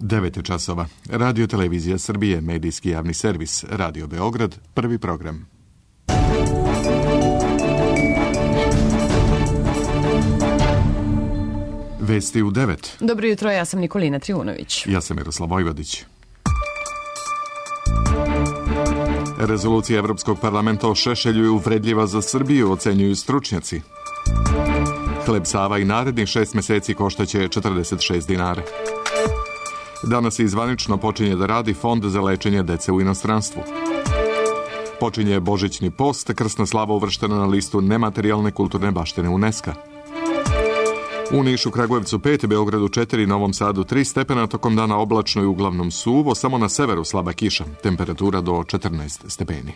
9 časova. Radio Televizija Srbije, medijski javni servis, Radio Beograd, prvi program. Vesti u 9. Dobro jutro, ja sam Nikolina Trivunović. Ja sam Miroslav Vojvodić. Rezolucija Evropskog parlamenta o Šešelju je uvredljiva za Srbiju, ocenjuju stručnjaci. Hleb Sava i narednih 6 meseci koštaće 46 dinara. Danas i zvanično počinje da radi Fond za lečenje dece u inostranstvu. Počinje Božićni post, krsna slava uvrštena na listu nematerijalne kulturne baštine UNESCO. U Nišu, Kragujevcu 5, Beogradu 4, Novom Sadu 3 stepena, tokom dana oblačno i uglavnom suvo, samo na severu slaba kiša, temperatura do 14 stepeni.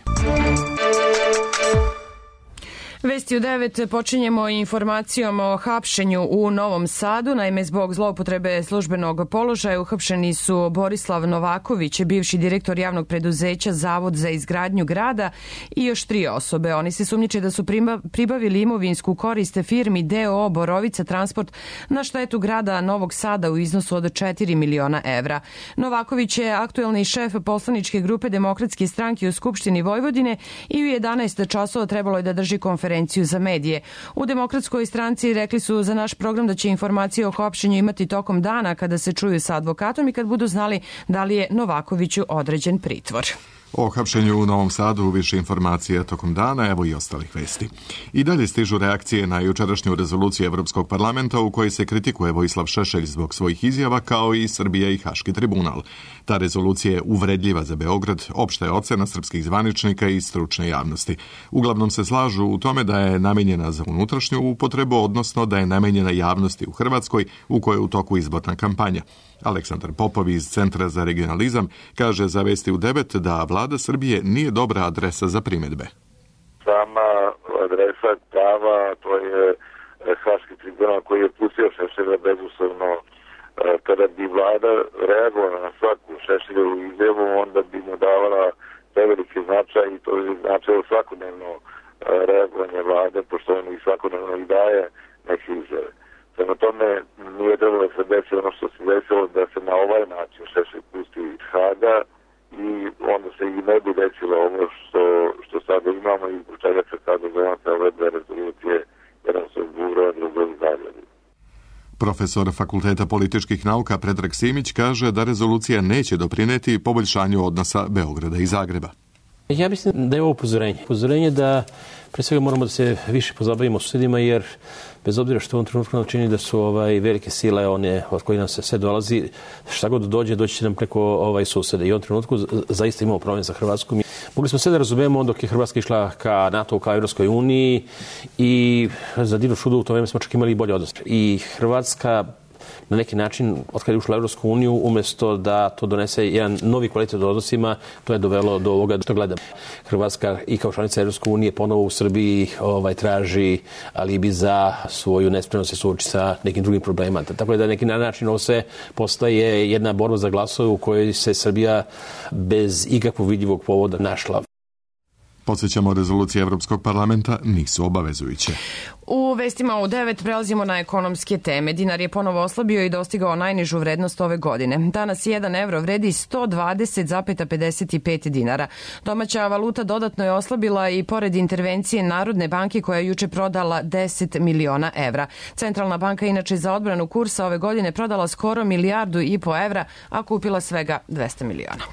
Vesti u 9 počinjemo informacijom o hapšenju u Novom Sadu. Naime, zbog zloupotrebe službenog položaja uhapšeni su Borislav Novaković, bivši direktor javnog preduzeća Zavod za izgradnju grada, i još 3 osobe. Oni se sumnjiče da su pribavili imovinsku korist firmi DOO Borovica Transport na štetu grada Novog Sada u iznosu od 4 miliona evra. Novaković je aktuelni šef poslaničke grupe Demokratske stranke u Skupštini Vojvodine i u 11 časova trebalo je da drži konferenciju za medije. U Demokratskoj stranci rekli su za naš program da će informacije o hapšenju imati tokom dana kada se čuju sa advokatom i kad budu znali da li je Novakoviću određen pritvor. O hapšenju u Novom Sadu više informacije tokom dana, evo i ostalih vesti. I dalje stižu reakcije na jučerašnju rezoluciju Evropskog parlamenta u kojoj se kritikuje Vojislav Šešelj zbog svojih izjava, kao i Srbija i Haški tribunal. Ta rezolucija je uvredljiva za Beograd, opšta je ocena srpskih zvaničnika i stručne javnosti. Uglavnom se slažu u tome da je namenjena za unutrašnju upotrebu, odnosno da je namenjena javnosti u Hrvatskoj u kojoj je u toku izborna kampanja. Aleksandar Popov iz Centra za regionalizam kaže za Vesti u 9 da vlada Srbije nije dobra adresa za primedbe. Sama adresa prava, to je Haški tribunal koji je pustio Šešelja bezuslovno. Kada bi vlada reagovala na svaku Šešeljevu izjavu, onda bi mu davala preveliki značaj i to bi značilo svakodnevno reagovanje vlade, pošto on i svakodnevno i daje neke izjave. Prema tome nije trebalo da se desi ono što se desilo, da se na ovaj način Šešelj pusti iz Haga i onda se i ne bi desilo ovo što sada imamo i zbog čega se sada donose ove dve rezolucije, jedan su Buro, a drugo iz Zagreba. Profesor Fakulteta političkih nauka Predrag Simić kaže da rezolucija neće doprineti poboljšanju odnosa Beograda i Zagreba. Ja mislim da je ovo upozorenje. Upozorenje da pre svega moramo da se više pozabavimo susedima, jer bez obzira što u ovom trenutku nam čini da su velike sile, one od kojih nam se sve dolazi, šta god dođe će nam preko susede. I u ovom trenutku zaista imamo problem za Hrvatsku. Mogli smo sve da razumemo dok je Hrvatska išla ka NATO, ka Evropskoj uniji, i za divno čudo u to vreme smo čak imali i bolje odnos. I Hrvatska na neki način, od kada je ušla u Evropsku uniju, umesto da to donese jedan novi kvalitet u odnosima, to je dovelo do ovoga što gledamo. Hrvatska i kao članica Evropske unije ponovo u Srbiji traži alibi za svoju nespremnost se suoči sa nekim drugim problemima. Tako je da na neki način ovo sve postaje jedna borba za glasove u kojoj se Srbija bez ikakvog vidljivog povoda našla. Podsjećamo, rezolucije Evropskog parlamenta nisu obavezujuće. U vestima u 9 prelazimo na ekonomske teme. Dinar je ponovo oslabio i dostigao najnižu vrednost ove godine. Danas 1 evro vredi 120,55 dinara. Domaća valuta dodatno je oslabila i pored intervencije Narodne banke koja je juče prodala 10 miliona evra. Centralna banka inače za odbranu kursa ove godine prodala skoro 1,5 milijardu evra, a kupila svega 200 miliona.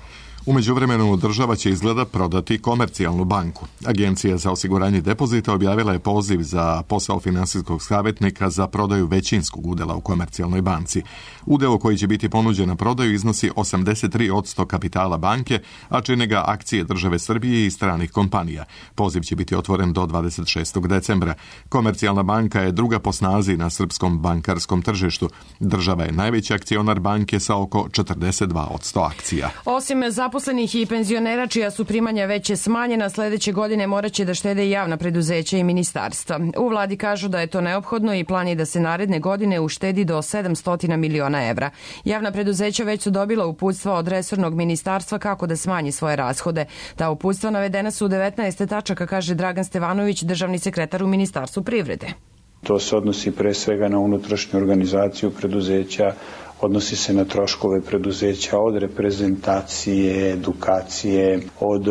U međuvremenu država će izgleda prodati Komercijalnu banku. Agencija za osiguranje depozita objavila je poziv za posao finansijskog savjetnika za prodaju većinskog udela u Komercijalnoj banci. Udeo koji će biti ponuđen na prodaju iznosi 83% kapitala banke, a čine ga akcije države Srbije i stranih kompanija. Poziv će biti otvoren do 26. decembra. Komercijalna banka je druga po snazi na srpskom bankarskom tržištu. Država je najveći akcionar banke sa oko 42% akcija. Osim zaposlenih i penzionera čija su primanja veće smanjena, sledeće godine moraće da štede i javna preduzeća i ministarstva. U vladi kažu da je to neophodno i plan je da se naredne godine uštedi do 700 miliona evra. Javna preduzeća već su dobila uputstva od resornog ministarstva kako da smanji svoje rashode. Ta uputstva navedena su u 19 tačaka, kaže Dragan Stevanović, državni sekretar u Ministarstvu privrede. To se odnosi pre svega na unutrašnju organizaciju preduzeća, odnosi se na troškove preduzeća od reprezentacije, edukacije, od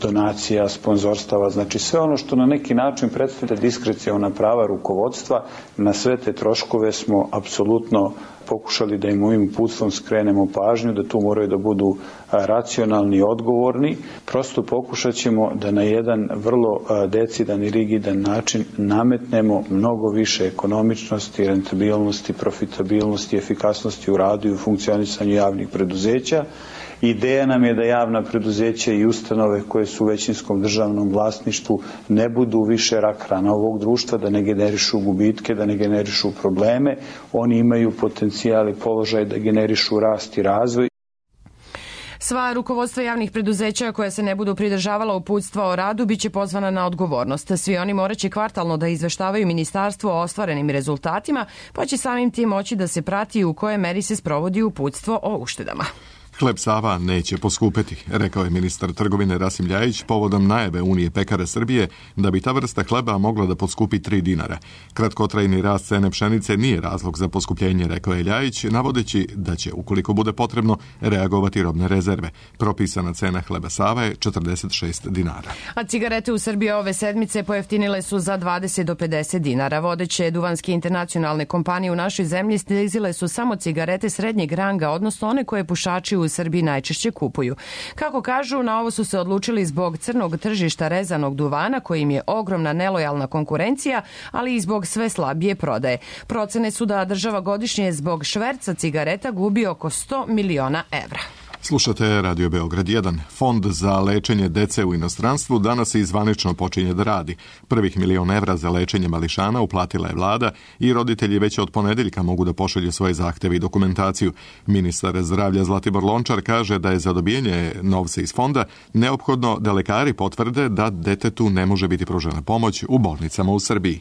donacija, sponzorstava, znači sve ono što na neki način predstavlja diskreciona prava rukovodstva, na sve te troškove smo apsolutno pokušali da im ovim uputstvom skrenemo pažnju, da tu moraju da budu racionalni i odgovorni. Prosto pokušat ćemo da na jedan vrlo decidan i rigidan način nametnemo mnogo više ekonomičnosti, rentabilnosti, profitabilnosti, efikasnosti u radu i u funkcionisanju javnih preduzeća. Ideja nam je da javna preduzeća i ustanove koje su u većinskom državnom vlasništvu ne budu više rak rana ovog društva, da ne generišu gubitke, da ne generišu probleme. Oni imaju potencijal i položaj da generišu rast i razvoj. Sva rukovodstva javnih preduzeća koja se ne budu pridržavala uputstva o radu biće pozvana na odgovornost. Svi oni moraće kvartalno da izveštavaju ministarstvo o ostvarenim rezultatima, pa će samim tim moći da se prati u kojoj meri se sprovodi uputstvo o uštedama. Hleb Sava neće poskupeti, rekao je ministar trgovine Rasim Ljajić povodom najave Unije pekara Srbije da bi ta vrsta hleba mogla da poskupi 3 dinara. Kratkotrajni rast cene pšenice nije razlog za poskupljenje, rekao je Ljajić, navodeći da će, ukoliko bude potrebno, reagovati robne rezerve. Propisana cena hleba Sava je 46 dinara. A cigarete u Srbiji ove sedmice pojeftinile su za 20 do 50 dinara. Vodeće duvanske internacionalne kompanije u našoj zemlji snizile su samo cigarete srednjeg ranga, odnosno one koje pušači u Srbiji najčešće kupuju. Kako kažu, na ovo su se odlučili zbog crnog tržišta rezanog duvana, kojim je ogromna nelojalna konkurencija, ali i zbog sve slabije prodaje. Procene su da država godišnje zbog šverca cigareta gubi oko 100 miliona evra. Slušate Radio Beograd 1. Fond za lečenje dece u inostranstvu danas i zvanično počinje da radi. Prvih 1 milion evra za lečenje mališana uplatila je vlada i roditelji već od ponedeljka mogu da pošalju svoje zahteve i dokumentaciju. Ministar zdravlja Zlatibor Lončar kaže da je za dobijanje novca iz fonda neophodno da lekari potvrde da detetu ne može biti pružena pomoć u bolnicama u Srbiji.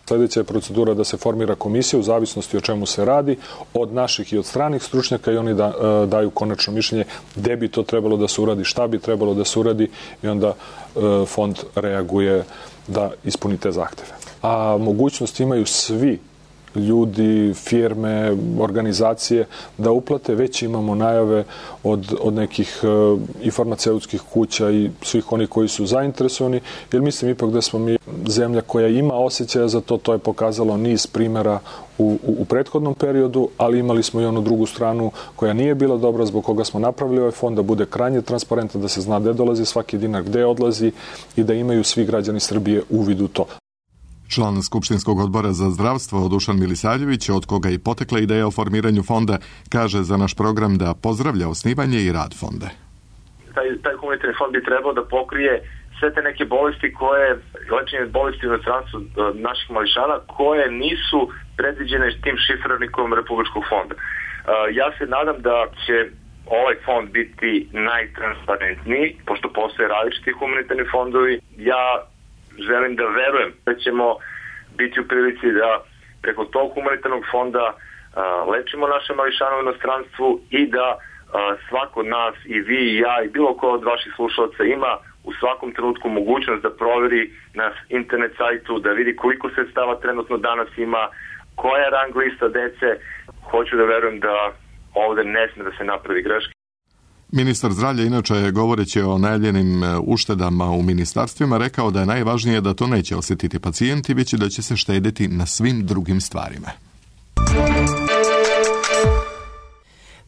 Sljedeća je procedura da se formira komisija u zavisnosti o čemu se radi, od naših i od stranih stručnjaka, i oni daju konačno mišljenje gde bi to trebalo da se uradi, šta bi trebalo da se uradi, i onda fond reaguje da ispuni te zahteve. A mogućnost imaju svi ljudi, firme, organizacije da uplate. Već imamo najave od nekih i farmaceutskih kuća i svih onih koji su zainteresovani, jer mislim ipak da smo mi zemlja koja ima osjećaja za to. To je pokazalo niz primjera u prethodnom periodu, ali imali smo i onu drugu stranu koja nije bila dobra, zbog koga smo napravili ovaj fond, da bude krajnje transparentan, da se zna gde dolazi svaki dinar, gde odlazi i da imaju svi građani Srbije uvid u to. Član Skupštinskog odbora za zdravstvo Dušan Milisavljević, od koga i potekla ideja o formiranju fonda, kaže za naš program da pozdravlja osnivanje i rad fonda. Taj humanitarni fond bi trebao da pokrije sve te neke bolesti lečenje bolesti u inostranstvu naših mališana koje nisu predviđene tim šifrarnikom Republičkog fonda. Ja se nadam da će ovaj fond biti najtransparentniji, pošto postoje različiti humanitarni fondovi. Ja želim da verujem da ćemo biti u prilici da preko tog humanitarnog fonda lečimo naše mališane u inostranstvu i da svako od nas, i vi i ja i bilo ko od vaših slušalaca, ima u svakom trenutku mogućnost da proveri na internet sajtu, da vidi koliko sredstava trenutno danas ima, koja je rang lista dece. Hoću da verujem da ovde ne sme da se napravi greške. Ministar zdravlja, inače, govoreći o najavljenim uštedama u ministarstvima, rekao da je najvažnije da to neće osjetiti pacijenti, već da će se štediti na svim drugim stvarima.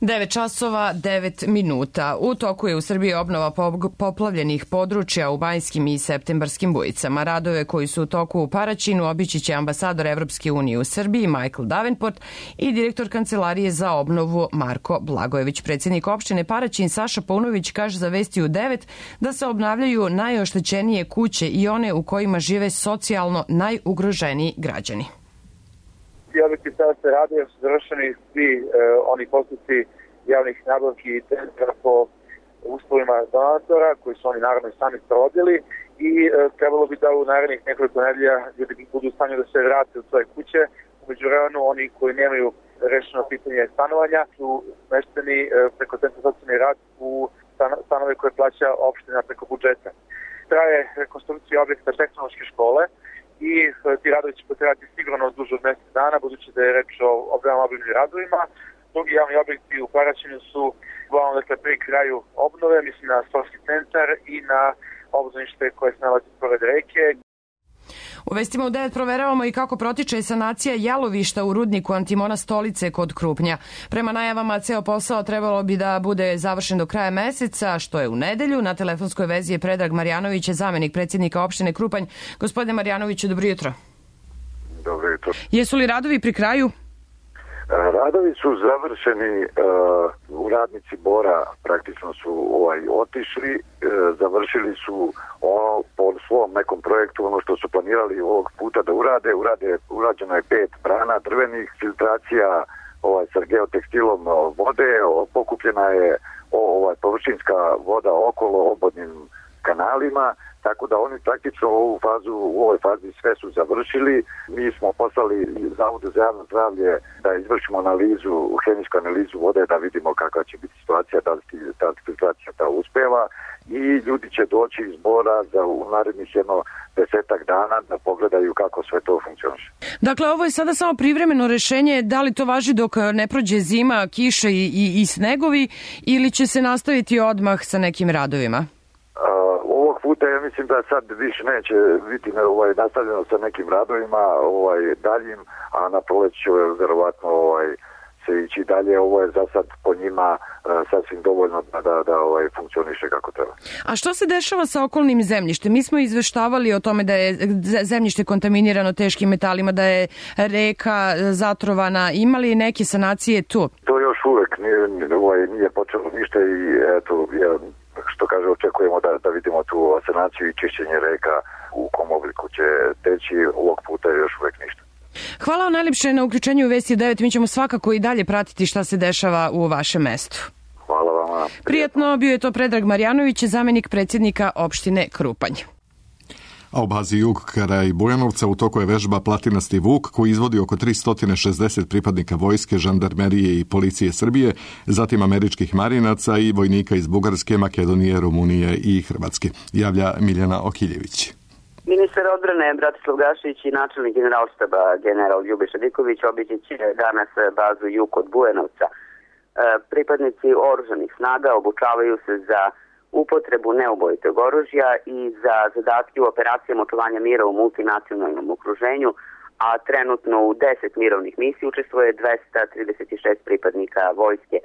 9 časova, 9 minuta. U toku je u Srbiji obnova poplavljenih područja u Banjskim i Septembarskim Bujicama. Radove koji su u toku u Paraćinu obići će ambasador Evropske unije u Srbiji Michael Davenport i direktor Kancelarije za obnovu Marko Blagojević. Predsjednik opštine Paraćin Saša Paunović kaže za Vesti u 9 da se obnavljaju najoštećenije kuće i one u kojima žive socijalno najugroženiji građani. Objekti sada se rade, jer su završeni svi oni postupci javnih nabavki i tendera po uslovima donatora, koji su oni naravno i sami provodili, i trebalo bi da u narednih nekoliko nedelja ljudi budu u stanju da se vrate u svoje kuće. Umeđu vremenu, oni koji nemaju rešeno pitanje stanovanja su mešteni preko Centra socijalni rad u stanove koje plaća opština preko budžeta. Traje rekonstrukcija objekta tehnološke škole i ti radovi će potrajati sigurno duže od mesec dana, budući da je reč o veoma obimnim radovima. drugi javni objekti u Paraćinu su uglavnom pri kraju obnove, mislim na sportski centar i na obdanište koje se nalazi pored reke. U vestima u 9 proveravamo i kako protiče sanacija jalovišta u rudniku Antimona Stolice kod Krupnja. Prema najavama, ceo posao trebalo bi da bude završen do kraja meseca, što je u nedelju. Na telefonskoj vezi je Predrag Marjanović, zamenik predsjednika opštine Krupanj. Gospodine Marjanoviću, dobro jutro. Dobro jutro. Jesu li radovi pri kraju? Radovi su završeni, radnici Bora praktično su otišli, završili su po svom nekom projektu ono što su planirali ovog puta da urađeno je 5 brana drvenih, filtracija sa geotekstilom vode, pokupljena je površinska voda okolo obodnim kanalima, tako da oni praktično u ovoj fazi sve su završili. Mi smo poslali Zavodu za javno zdravlje da izvršimo hemijsku analizu vode, da vidimo kakva će biti situacija, da li ta filtracija uspeva, i ljudi će doći iz Bora u narednih 10 dana da pogledaju kako sve to funkcioniše. Dakle, ovo je sada samo privremeno rešenje, da li to važi dok ne prođe zima, kiše i snegovi, ili će se nastaviti odmah sa nekim radovima? Ovog puta ja mislim da sad više neće biti nastavljeno sa nekim radovima daljim, a na proleć će verovatno se ići dalje. Ovo je za sad po njima sasvim dovoljno da funkcioniše kako treba. A što se dešava sa okolnim zemljištem? Mi smo izveštavali o tome da je zemljište kontaminirano teškim metalima, da je reka zatrovana. Ima li neke sanacije tu? To još uvek nije počelo ništa i eto, što kaže, očekujemo da vidimo tu sanaciju i čišćenje reka u kom obliku će teći. Ovog puta još uvek ništa. Hvala vam najljepše na uključenju u Vesti 9. Mi ćemo svakako i dalje pratiti šta se dešava u vašem mestu. Hvala vama. Prijatno, bio je to Predrag Marjanović, zamenik predsjednika opštine Krupanj. A u bazi Jug kraj Bujanovca u toku je vežba Platinasti Vuk, koji izvodi oko 360 pripadnika vojske, žandarmerije i policije Srbije, zatim američkih marinaca i vojnika iz Bugarske, Makedonije, Rumunije i Hrvatske. Javlja Miljana Okiljević. Ministar odbrane Bratislav Gašić i načelnik generalštaba general Ljubiša Diković obići će danas bazu Jug kod Bujanovca. Pripadnici oružanih snaga obučavaju se za upotrebu neubojitog oružja i za zadatke u operacijama očuvanja mira u multinacionalnom okruženju, a trenutno u 10 mirovnih misija učestvuje 236 pripadnika vojske.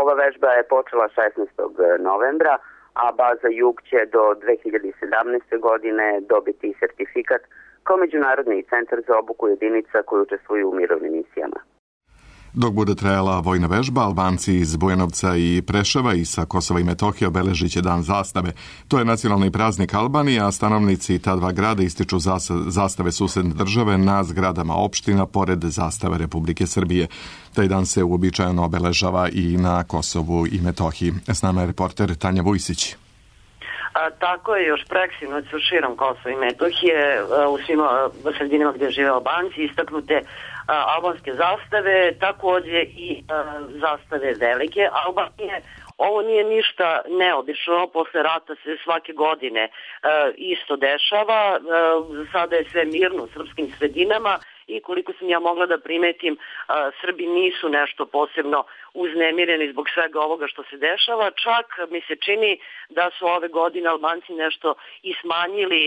Ova vežba je počela 16. novembra, a baza Jug će do 2017. godine dobiti sertifikat kao međunarodni centar za obuku jedinica koji učestvuju u mirovnim misijama. Dok bude trajala vojna vežba, Albanci iz Bujanovca i Preševa i sa Kosova i Metohije obeležit će Dan zastave. To je nacionalni praznik Albanije, a stanovnici ta dva grada ističu zastave susedne države na zgradama opština pored zastave Republike Srbije. Taj dan se uobičajeno obeležava i na Kosovu i Metohiji. S nama je reporter Tanja Vujsić. Tako je, još preksinoć su širom Kosova i Metohije, u svim sredinama gdje žive Albanci, istaknute albanske zastave, također i zastave velike Albanije. Ovo nije ništa neobično, posle rata se svake godine isto dešava, sada je sve mirno u srpskim sredinama i koliko sam ja mogla da primetim, Srbi nisu nešto posebno uznemireni zbog svega ovoga što se dešava. Čak mi se čini da su ove godine Albanci nešto i smanjili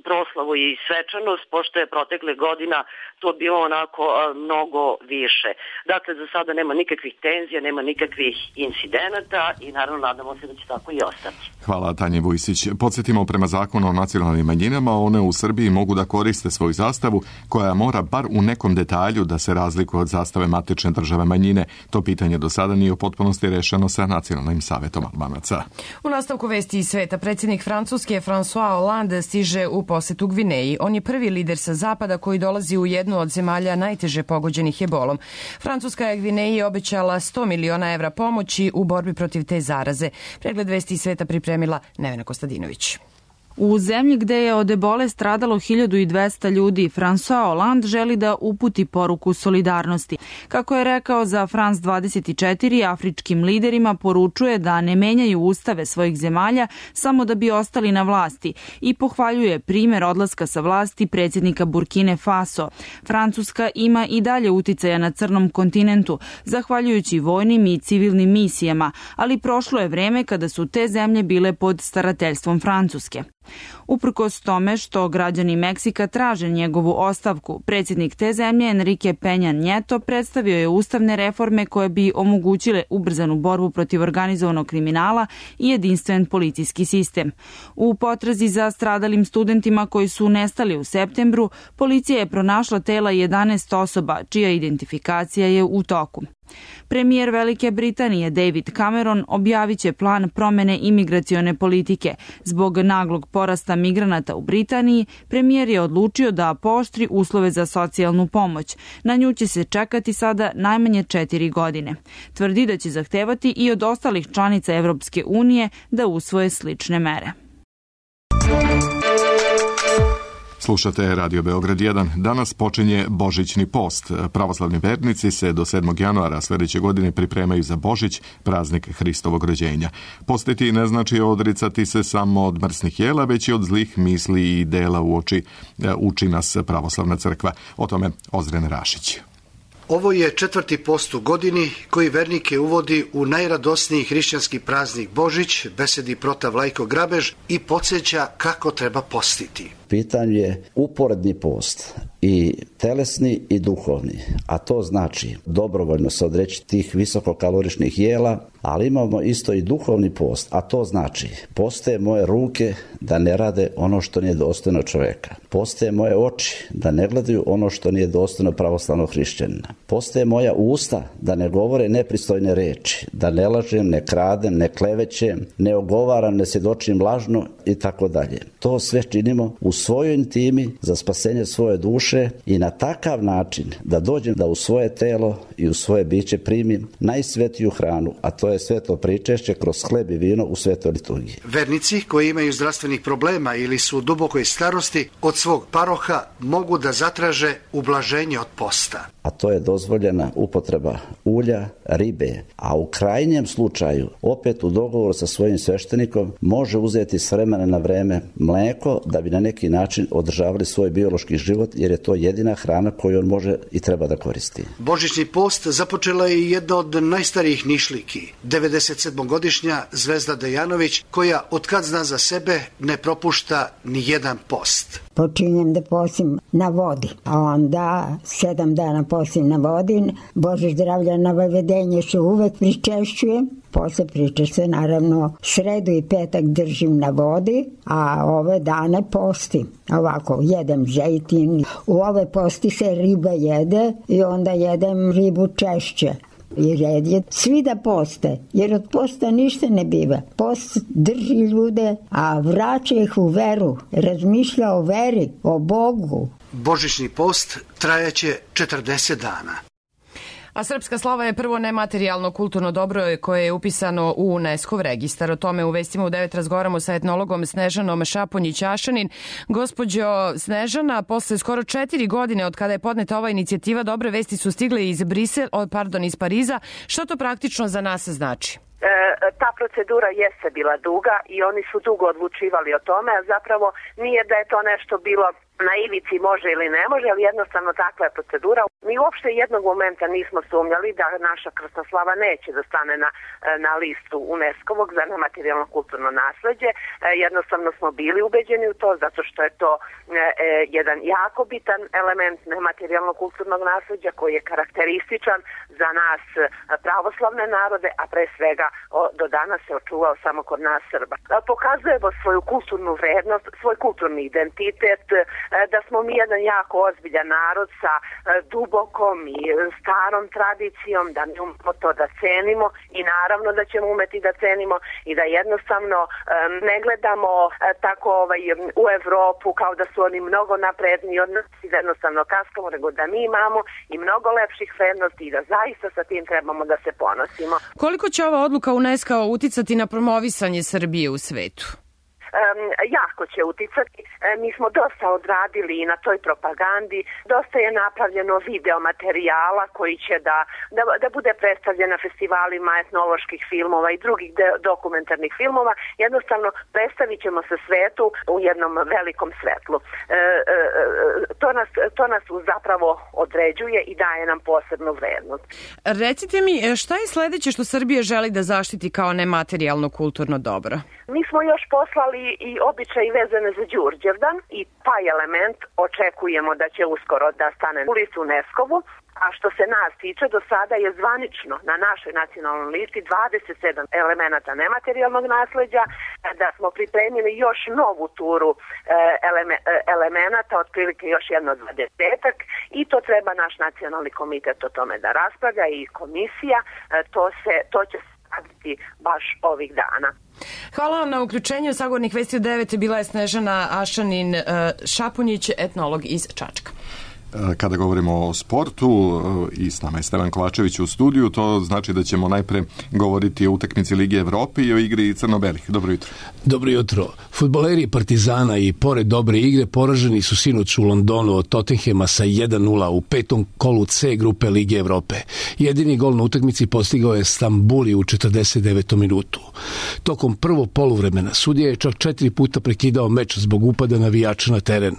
proslavu i svečanost, pošto je protekle godina to bilo onako mnogo više. Dakle, za sada nema nikakvih tenzija, nema nikakvih incidenata i naravno nadamo se da će tako i ostati. Hvala Tanje Vujsić. Podsjetimo, prema zakonu o nacionalnim manjinama, one u Srbiji mogu da koriste svoju zastavu, koja mora bar u nekom detalju da se razlikuje od zastave matične države manjine. To pitanje do sada nije u potpunosti rešeno sa Nacionalnim savetom Albanaca. U nastavku Vesti iz sveta, predsjednik Francuske François Hollande stiže u posetu Gvineji. On je prvi lider sa zapada koji dolazi u jednu od zemalja najteže pogođenih ebolom. Francuska je Gvineji obećala 100 miliona evra pomoći u borbi protiv te zaraze. Pregled Vesti iz sveta pripremila Nevena Kostadinović. U zemlji gde je od ebole stradalo 1200 ljudi, François Hollande želi da uputi poruku solidarnosti. Kako je rekao za France 24, afričkim liderima poručuje da ne menjaju ustave svojih zemalja samo da bi ostali na vlasti i pohvaljuje primer odlaska sa vlasti predsjednika Burkine Faso. Francuska ima i dalje uticaja na crnom kontinentu, zahvaljujući vojnim i civilnim misijama, ali prošlo je vreme kada su te zemlje bile pod starateljstvom Francuske. Uprkos tome što građani Meksika traže njegovu ostavku, predsjednik te zemlje Enrique Peña Nieto predstavio je ustavne reforme koje bi omogućile ubrzanu borbu protiv organizovanog kriminala i jedinstven policijski sistem. U potrazi za stradalim studentima koji su nestali u septembru, policija je pronašla tela 11 osoba, čija identifikacija je u toku. Premijer Velike Britanije David Cameron objavit će plan promene imigracione politike. Zbog naglog porasta migranata u Britaniji, premijer je odlučio da pooštri uslove za socijalnu pomoć. Na nju će se čekati sada najmanje 4 godine. Tvrdi da će zahtevati i od ostalih članica Evropske unije da usvoje slične mere. Slušate Radio Beograd 1. Danas počinje Božićni post. Pravoslavni vernici se do 7. januara sljedeće godine pripremaju za Božić, praznik Hristovog rođenja. Postiti ne znači odricati se samo od mrsnih jela, već i od zlih misli i dela uči nas pravoslavna crkva. O tome Ozren Rašić. Ovo je 4. post u godini koji vernike uvodi u najradosniji hrišćanski praznik Božić, besedi protav Vlajko Grabež i podsjeća kako treba postiti. Pitanje je uporedni post, i telesni i duhovni, a to znači dobrovoljno se odreći tih visokokaloričnih jela, ali imamo isto i duhovni post, a to znači postoje moje ruke da ne rade ono što nije dostojno čoveka. Postoje moje oči da ne gledaju ono što nije dostojno pravoslavnog hrišćanina. Postoje moja usta da ne govore nepristojne reči, da ne lažem, ne kradem, ne klevećem, ne ogovaram, ne svjedočim lažno i tako dalje. To sve činimo u svojoj intimi za spasenje svoje duše i na takav način da dođem da u svoje telo i u svoje biće primim najsvetiju hranu, a to je sveto pričešće kroz hleb i vino u svetoj liturgiji. Vernici koji imaju zdravstvenih problema ili su u dubokoj starosti od svog paroha mogu da zatraže ublaženje od posta. A to je dozvoljena upotreba ulja, ribe, a u krajnjem slučaju, opet u dogovoru sa svojim sveštenikom, može uzeti s vremena na vreme mlijeko da bi na neki način održavali svoj biološki život, jer je to jedina hrana koju on može i treba da koristi. Božićni post započela je jedna od najstarijih Nišliki, 97-godišnja Zvezda Dejanović, koja od kad zna za sebe ne propušta ni jedan post. Počinjem da postim na vodi, a onda 7 dana postim na vodi. Bože zdravlja na Vavedenje se uvek pričešćujem. Posle pričešće naravno sredu i petak držim na vodi, a ove dane postim. Ovako, jedem zejtin. U ove posti se riba jede i onda jedem ribu češće. I red je svi da poste, jer od posta ništa ne biva. Post drži ljude, a vraća ih u veru, razmišlja o veri, o Bogu. Božićni post trajaće 40 dana. A srpska slava je prvo nematerijalno kulturno dobro koje je upisano u UNESCO registar. O tome u Vestima u 9 razgovaramo sa etnologom Snežanom Šaponjić-Ašanin. Gospođo Snežana, posle skoro 4 godine od kada je podneta ova inicijativa, dobre vesti su stigle iz iz Pariza. Što to praktično za nas znači? Ta procedura jeste bila duga i oni su dugo odlučivali o tome, a zapravo nije da je to nešto bilo na ivici može ili ne može, ali jednostavno takva je procedura. Mi uopšte jednog momenta nismo sumnjali da naša krstoslava neće da stane na listu UNESCO-vog za nematerijalno kulturno nasleđe. Jednostavno smo bili ubeđeni u to, zato što je to jedan jako bitan element nematerijalno kulturnog nasleđa koji je karakterističan za nas pravoslavne narode, a pre svega do danas se očuvao samo kod nas Srba. Pokazujemo svoju kulturnu vrednost, svoj kulturni identitet, da smo mi jedan jako ozbiljan narod sa dubokom i starom tradicijom, da mi umemo to da cenimo i naravno da ćemo umeti da cenimo i da jednostavno ne gledamo tako u Evropu kao da su oni mnogo napredniji od nas i da jednostavno kaskamo, nego da mi imamo i mnogo lepših vrednosti i da zaista sa tim trebamo da se ponosimo. Koliko će ova odluka UNESCO uticati na promovisanje Srbije u svetu? jako će uticati. Mi smo dosta odradili i na toj propagandi, dosta je napravljeno video materijala koji će da bude predstavljen na festivalima etnoloških filmova i drugih dokumentarnih filmova. Jednostavno predstavit ćemo se svetu u jednom velikom svetlu. To nas zapravo određuje i daje nam posebnu vrednost. Recite mi, šta je sledeće što Srbija želi da zaštiti kao nematerijalno kulturno dobro? Mi smo još poslali i običaj vezane za Đurđevdan i taj element očekujemo da će uskoro da stane u listu UNESCO-vu. A što se nas tiče, do sada je zvanično na našoj nacionalnoj listi 27 elemenata nematerijalnog nasleđa, da smo pripremili još novu turu elemenata, otprilike još jedno 20-ak, i to treba naš nacionalni komitet o tome da raspravlja i komisija, to će se raditi baš ovih dana. Hvala vam na uključenju. Sagovornik Vesti u 9 bila je Snežana Ašanin-Šapunjić, etnolog iz Čačka. Kada govorimo o sportu i s nama je Stevan Kovačević u studiju, to znači da ćemo najpre govoriti o utakmici Lige Evrope i o igri crno-belih. Dobro jutro. Dobro jutro. Fudbaleri Partizana i pored dobre igre poraženi su sinoć u Londonu od Tottenhema sa 1:0 u petom kolu C grupe Lige Evrope. Jedini gol na utakmici postigao je Stambuli u 49. minutu. Tokom prvog poluvremena sudija je čak 4 puta prekidao meč zbog upada navijača na teren.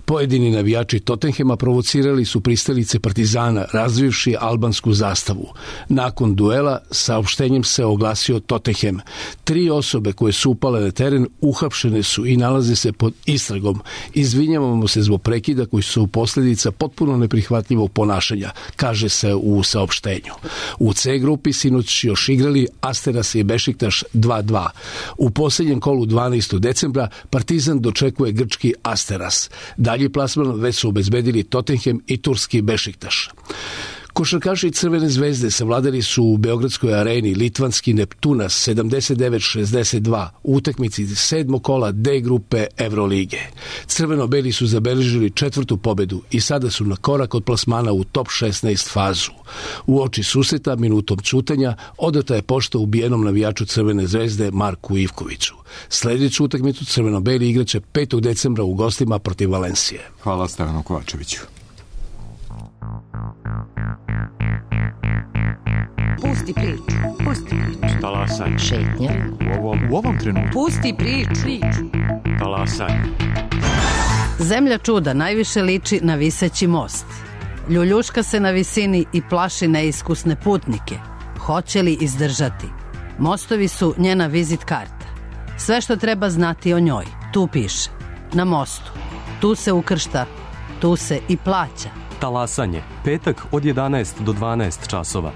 Pojedini navijači Tottenhema provocirali su pristalice Partizana razvivši albansku zastavu. Nakon duela saopštenjem se oglasio Tottenham. 3 osobe koje su upale na teren uhapšene su i nalaze se pod istragom. Izvinjavamo se zbog prekida koji su posljedica potpuno neprihvatljivog ponašanja, kaže se u saopštenju. U C grupi sinoć još igrali Asteras i Bešiktaš 2:2. U posljednjem kolu 12. decembra Partizan dočekuje grčki Asteras. Dalji plasman već su obezbedili Tottenham i turski Bešiktaš. Košarkaši Crvene zvezde savladali su u Beogradskoj areni litvanski Neptunas 79-62 u utakmici 7. kola D grupe Evrolige. Crveno-beli su zabeležili 4. pobedu i sada su na korak od plasmana u top 16 fazu. U oči susreta minutom ćutanja odata je pošta ubijenom navijaču Crvene zvezde Marku Ivkoviću. Sljedeću utakmicu Crveno-beli igraće 5. decembra u gostima protiv Valencije. Hvala Stevanu Kovačeviću. Pusti priču. Pusti priču. Talasaj. Šetnja. U ovom trenutku. Pusti priču. Talasaj. Zemlja čuda najviše liči na viseći most. Ljuljuška se na visini i plaši neiskusne putnike. Hoće li izdržati? Mostovi su njena vizit karta. Sve što treba znati o njoj, tu piše. Na mostu. Tu se ukršta, tu se i plaća. Talasanje. Petak od 11 do 12 časova.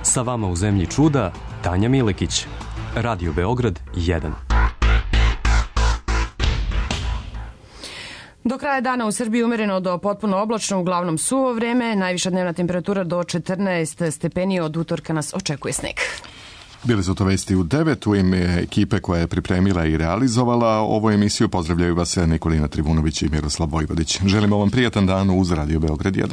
Sa vama u Zemlji čuda, Tanja Milekić. Radio Beograd 1. Do kraja dana u Srbiji umereno do potpuno oblačno, uglavnom suvo vreme. Najviša dnevna temperatura do 14 stepeni, od utorka nas očekuje sneg. Bili su to Vesti u 9. U ime ekipe koja je pripremila i realizovala ovu emisiju pozdravljaju vas Nikolina Trivunović i Miroslav Vojvodić. Želimo vam prijatan dan uz Radio Beograd 1.